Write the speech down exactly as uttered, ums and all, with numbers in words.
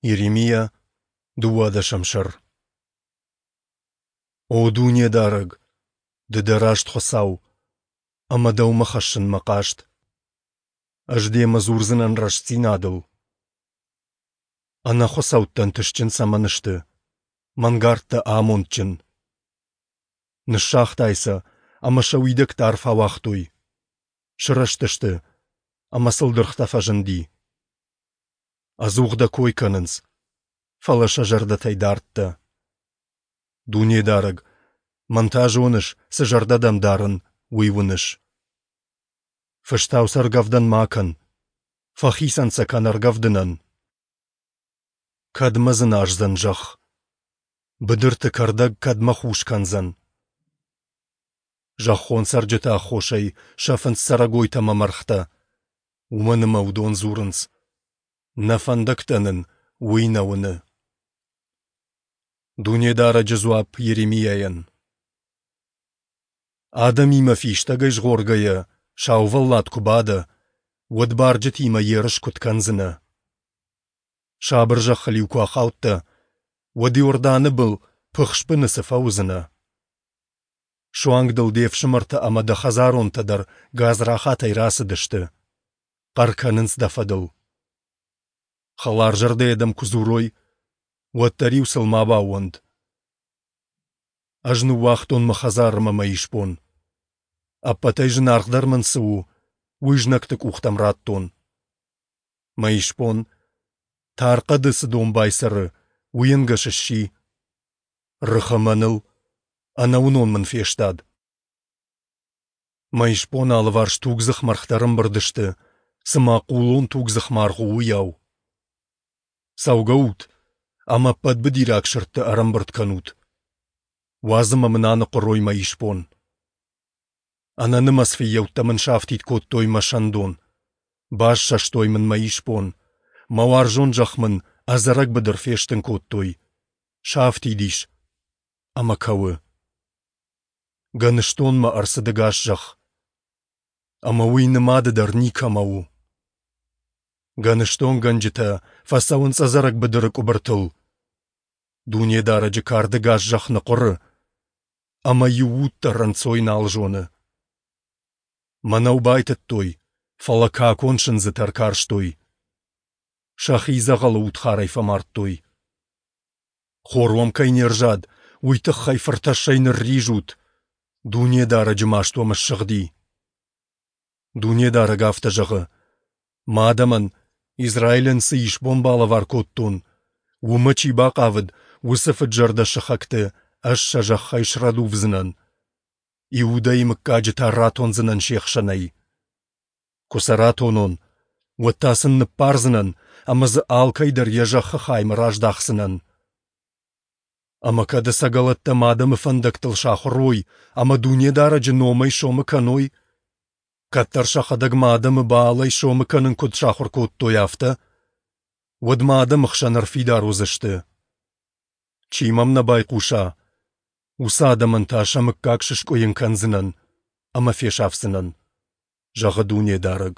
Йеремиа, дыууадӕсӕм сӕр. О Дунедарӕг, Ды дӕ раст Хуыцау, ӕмӕ Дӕумӕ хӕссын мӕ хъаст. Ӕз Демӕ дзурдзынӕн рӕстдзинадыл. Ӕнӕхуыцӕуттӕ ӕнтыстджын цӕмӕн сты, мӕнгӕрдтӕ амондджын? Ныссагътай сӕ, ӕмӕ сӕ уидӕгтӕ арф ауагътой. Сырӕзтысты, ӕмӕ сыл дыргътӕ фӕзынди. Ӕдзух дӕ кой кӕнынц, фӕлӕ сӕ зӕрдӕтӕй дард дӕ. Дунедарӕг, мӕн та зоныс, цы зӕрдӕ дӕм дарын, уый уыныс. Фыстау сӕ ӕргӕвдӕн ма кӕн, фӕхицӕн сӕ кӕн ӕргӕвдынӕн. Кӕдмӕ дзыназдзӕн зӕхх? Быдырты кӕрдӕг кӕдмӕ хус кӕндзӕн? Зӕххон цӕрджыты аххосӕй сӕфынц цӕрӕгойтӕ ӕмӕ мӕргътӕ, уымӕн ӕмӕ уыдон дзурынц: Нӕ фӕндӕгтӕ нын Уый нӕ уыны. Дунедарӕджы дзуапп Йеремиайӕн. Адӕмимӕ фистӕгӕй згъоргӕйӕ, саувӕллад куы бадӕ, уӕд барджытимӕ ерыс куыд кӕндзынӕ? Сабыр зӕххыл-иу куы ахаудтӕ, уӕд Иорданы был пыхсбыны цы фӕуыдзынӕ? Суанг дыл де фсымӕртӕ ӕмӕ дӕ хӕдзаронтӕ дӕр гадзрахатӕй рацыдысты, хъӕр кӕнынц дӕ фӕдыл. Хӕларзӕрдӕйӕ дӕм куы дзурой, уӕддӕр-иу сыл ма баууӕнд. Ӕз ныууагътон мӕ хӕдзар ӕмӕ мӕ исбон. Ӕппӕтӕй зынаргъдӕр мын цы у, уый знӕгты къухтӕм радтон. Мӕ исбон, тар хъӕды цы домбай цӕры, уый ӕнгӕс сси. Рыхы мӕныл, ӕнӕуынон мын фестад. Мӕ исбоны алыварс тугдзых мӕргътӕ ӕрӕмбырд сты, цыма хъулон тугдзых маргъ у, уыйау. Цӕугӕут ӕмӕ ӕппӕт быдираг сырдты ӕрӕмбырд кӕнут. Уадз ӕмӕ мын аныхъуырой мӕ исбон. Ӕнӕнымӕц фыййӕуттӕ мын сафтид кодтой мӕ сӕндон. Бассӕстой мын мӕ исбон, мӕ уарзон зӕхх мын ӕдзӕрӕг быдыр фестын кодтой. Сафтид ис ӕмӕ кӕуы. Гӕныстонмӕ ӕрцыд ӕгас зӕхх, ӕмӕ уый нымады дӕр никӕмӕ у. Гӕныстонгӕнджытӕ фӕцӕуынц ӕдзӕрӕг быдыры къуыбыртыл. Дунедарӕджы кард ӕгас зӕхх ныхъуыры, ӕмӕ иу уд дӕр ӕнцой нал зоны. Мӕнӕу байтыдтой, фӕлӕ какон сындзытӕ ӕркарстой. Сӕхи дзӕгъӕлы удхарӕй фӕмардтой. Хор уӕм кӕй не рзад, уый тыххӕй фыртӕссӕй нырризут, Дунедарӕджы маст уӕм ссыгъди. Дунедарӕг афтӕ зӕгъы: Мӕ адӕмӕн, Израилӕн цы исбон балӕвар кодтон, уымӕ чи бахъавыд, уыцы фыд-зӕрдӕ сыхӕгты ӕз сӕ зӕххӕй срӕдувдзынӕн. Иудӕйы мыггаджы та ратондзынӕн се хсӕнӕй. Куы сӕ ратонон, уӕд та сын ныббардзынӕн ӕмӕ дзы алкӕй дӕр йӕ зӕххы хаймӕ раздахдзынӕн. Ӕмӕ кӕд ӕцӕгӕлӕттӕ мӕ адӕмы фӕндӕгтыл сахуыр уой ӕмӕ Дунедарӕджы номӕй сомы кӕной, кӕддӕр сӕхӕдӕг мӕ адӕмы Баалӕй сомы кӕнын куыд сахуыр кодтой, афтӕ, уӕд мӕ адӕмы хсӕн ӕрфидар уыдзысты. Чи мӕм нӕ байхъуса, уыцы адӕмӕн та сӕ мыггаг сыскъуыйын кӕндзынӕн ӕмӕ фесафдзынӕн, зӕгъы Дунедарӕг.